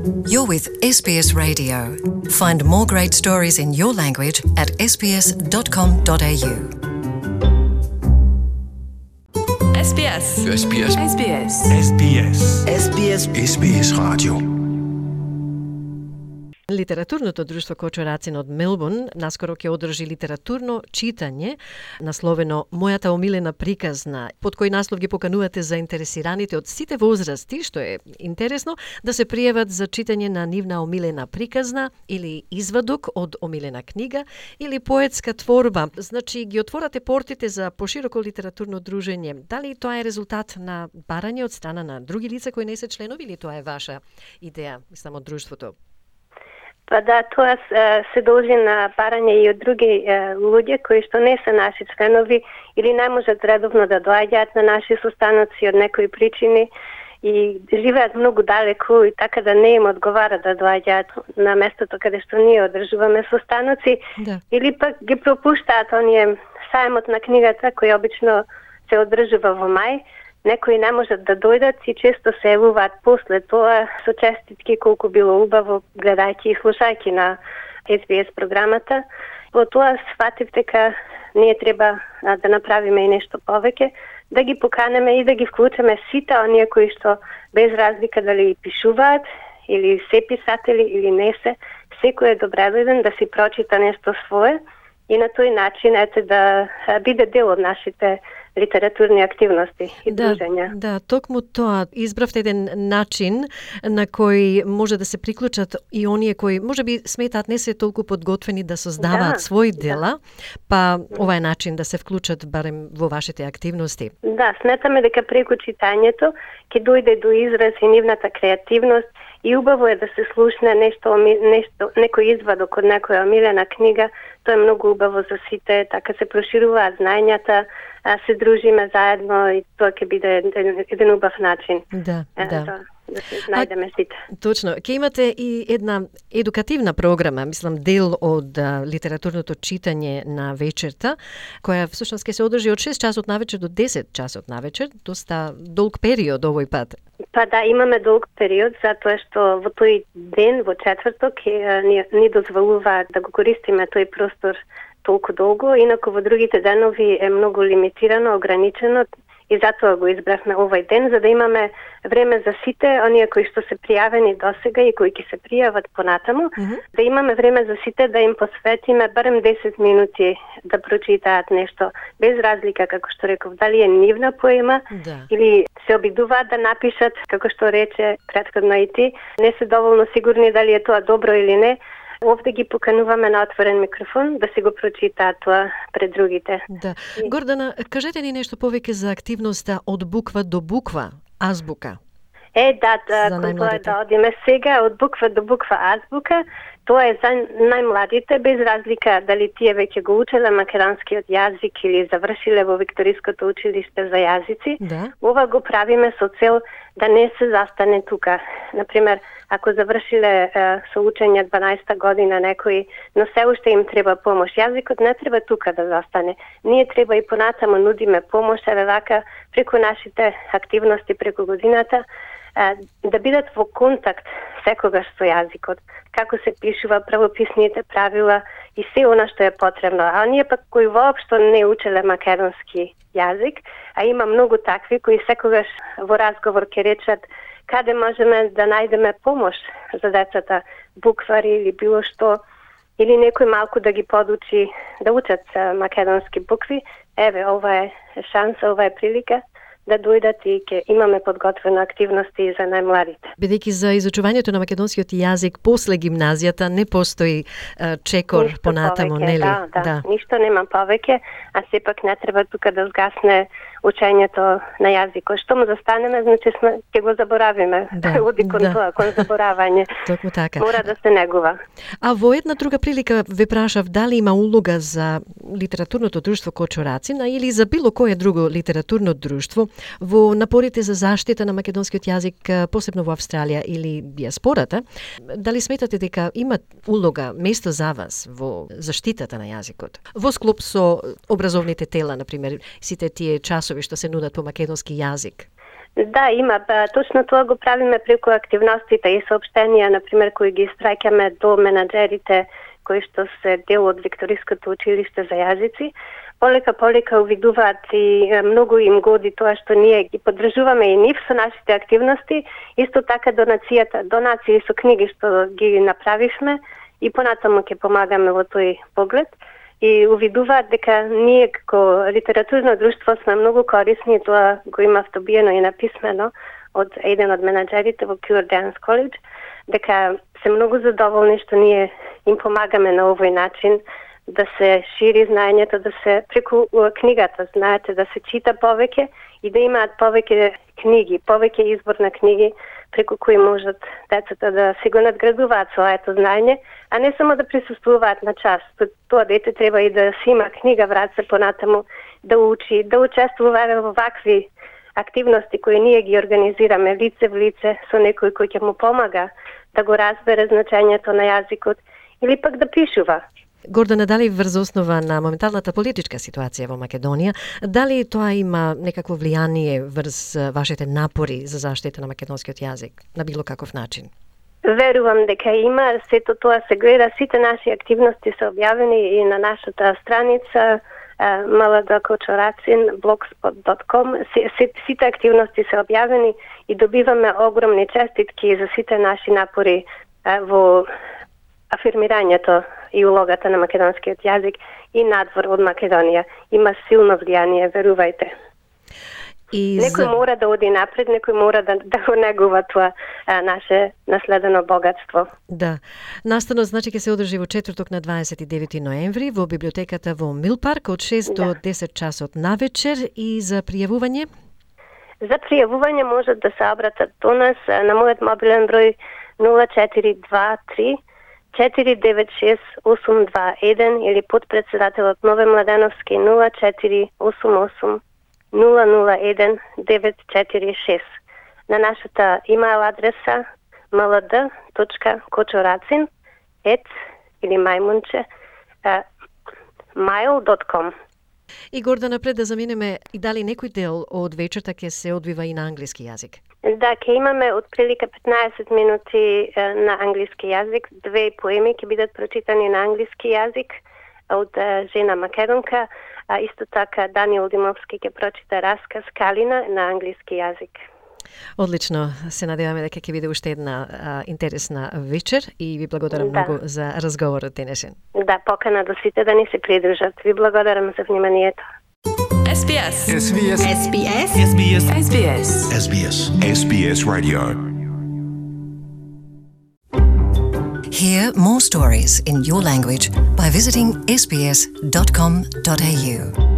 You're with SBS Radio. Find more great stories in your language at sbs.com.au. SBS. SBS. SBS. SBS. SBS. SBS Radio. Литературното друштво Кочурацин од Мелбурн наскоро ќе одржи литературно читање насловено Мојата омилена приказна, под кој наслов ги поканувате заинтересираните од сите возрасти, што е интересно, да се пријават за читање на нивна омилена приказна или извадок од омилена книга или поетска творба. Значи ги отворате портите за пошироко литературно дружење. Дали тоа е резултат на барање од страна на други лица кои не се членови или тоа е ваша идеја, мислам, од друштвото? Па да, тоа се должи на барање и од други луѓе кои што не се наши членови или не можат редовно да доаѓаат на наши состаноци од некои причини и живеат многу далеку и така да не им одговара да доаѓаат на местото каде што ние одржуваме состаноци, да. Или пак ги пропуштаат оние сајмот на книгата кој обично се одржува во мај. Некои не можат да дојдат и често се јавуваат после тоа со честитки колку било убаво гледајќи и слушајќи на SBS програмата. Во тоа сфатив дека ние треба да направиме и нешто повеќе, да ги поканеме и да ги вклучиме сите оние кои што без разлика дали пишуваат или се писатели или не се, секој е добредојден да си прочита нешто свое и на тој начин да биде дел од нашите литературни активности и дружења. Да, токму тоа избравте еден начин на кој може да се приклучат и оние кои можеби сметаат не се толку подготвени да создаваат свои дела, па ова е начин да се вклучат барем во вашите активности. Да, сметаме дека преку читањето ќе дојде до израз и нивната креативност и убаво е да се слушне нешто некој извадок од некоја омилена книга. Тоа е многу убаво за сите, така се прошируваат знаењата, се дружиме заедно и тоа ќе биде еден убав начин. Да. Да се најдеме сите. Точно. Ќе имате и една едукативна програма, мислам, дел од литературното читање на вечерта, која всушност ќе се одржи од 6 часот навечер до 10 часот навечер, доста долг период овој пат. Па да, имаме долг период, затоа што во тој ден, во четврток, ни дозволува да го користиме тој простор толку долго, инаку во другите денови е многу лимитирано, ограничено и затоа го избравме овој ден, за да имаме време за сите оние кои што се пријавени досега и кои ќе се пријават понатаму, да имаме време за сите да им посветиме барем 10 минути да прочитаат нешто, без разлика, како што реков, дали е нивна поема или се обидуваат да напишат, како што рече претходно и ти, не се доволно сигурни дали е тоа добро или не. Овде ги покануваме на отворен микрофон да си го прочитаат тоа пред другите. Да. Гордана, кажете ни нешто повеќе за активноста од буква до буква, азбука. Да, тоа да одиме сега од буква до буква азбука. Тоа е за најмладите, без разлика дали тие веќе го учеле македонскиот јазик или завршиле во Викториското училиште за јазици. Да. Ова го правиме со цел да не се застане тука. Например, ако завршиле со учење 12-та година некои, но се уште им треба помош. Јазикот не треба тука да застане. Ние треба и понатаму нудиме помош, еве вака преку нашите активности преку годината, да бидат во контакт секогаш со јазикот, како се пишува, правописните правила и се она што е потребно. А ние пак кои воопшто не учеле македонски јазик, а има многу такви кои секогаш во разговор ќе речат каде можеме да најдеме помош за децата, буквари или било што, или некој малку да ги подучи да учат македонски букви. Еве, ова е шанса, ова е прилика да дојдат и ќе имаме подготвена активности за најмладите. Бидејќи за изучувањето на македонскиот јазик после гимназијата не постои чекор ништо понатаму, повеќе, нели? Да, ништо нема повеќе, а сепак не треба тука да згасне учењето на јазикот. Што му застанеме, значи ќе го заборавиме. Оди кон тоа, кон заборавање. Токму така. Мора да се негува. А во една друга прилика ве прашав дали има улога за литературното друштво Кочурацин или за било кое друго литературно друштво во напорите за заштита на македонскиот јазик, посебно во Австралија или диаспората. Дали сметате дека има улога, место за вас во заштитата на јазикот? Во склоп со образовните тела, например, сите тие часови што се нудат по македонски јазик? Да, има. Точно тоа го правиме преку активностите и сообщенија, например, кои ги страќаме до менаџерите кои што се дел од Викториското училиште за јазици. Полека увидуваат и многу им годи тоа што ние ги поддржуваме и нив со нашите активности, исто така донации со книги што ги направивме и понатаму ќе помагаме во тој поглед. И увидуваат дека ние како литературно друштво сме многу корисни, тоа го има втобиено и написмено од еден од менаџерите во Pure Dance College, дека се многу задоволни што ние им помагаме на овој начин да се шири знаењето, да се преку книгата, знаете, да се чита повеќе и да имаат повеќе книги, повеќе избор на книги преку кои можат децата да се го надградуваат своето знаење, а не само да присуствуваат на час. Тоа дете треба и да си има книга врат се понатаму, да учи, да учествува во вакви активности кои ние ги организираме лице в лице со некој кој ќе му помага да го разбере значењето на јазикот или пак да пишува. Гордана, дали врз основа на моменталната политичка ситуација во Македонија, дали тоа има некакво влијание врз вашите напори за заштита на македонскиот јазик на било каков начин? Верувам дека има, сето тоа се гледа, сите наши активности се објавени и на нашата страница mlad.kočoracin.blogspot.com. Сите активности се објавени и добиваме огромни честитки за сите наши напори во афирмирањето и улогата на македонскиот јазик и надвор од Македонија. Има силно влијание, верувајте. Некој мора да оди напред, некој мора да го негува тоа наше наследено богатство. Да. Настанот значи ќе се одржи во четврток на 29 ноември во библиотеката во Милпарк од 6 до 10 часот навечер и за пријавување? За пријавување можат да се обратат до нас на мојот мобилен број 0423 496-821 или подпредседателот Нове Младеновски 0488 001-946. На нашата имейл адреса mlad.kočoracin@ или мајмунче mail.com. И Гордана, пред да заминеме, и дали некој дел од вечерта ќе се одвива и на англиски јазик? Да, ќе имаме отприлика 15 минути на англиски јазик. 2 поеми ќе бидат прочитани на англиски јазик од жена македонка, а исто така Даниел Димовски ќе прочита расказ Калина на англиски јазик. Одлично, се надеваме дека ќе биде уште една интересна вечер и ви благодарам многу за разговорот денешен. Да, покана до сите да ни се придружат. Ви благодарам за вниманието. SBS. SBS. SBS. SBS. SBS. SBS. SBS Radio. Hear more stories in your language by visiting sbs.com.au.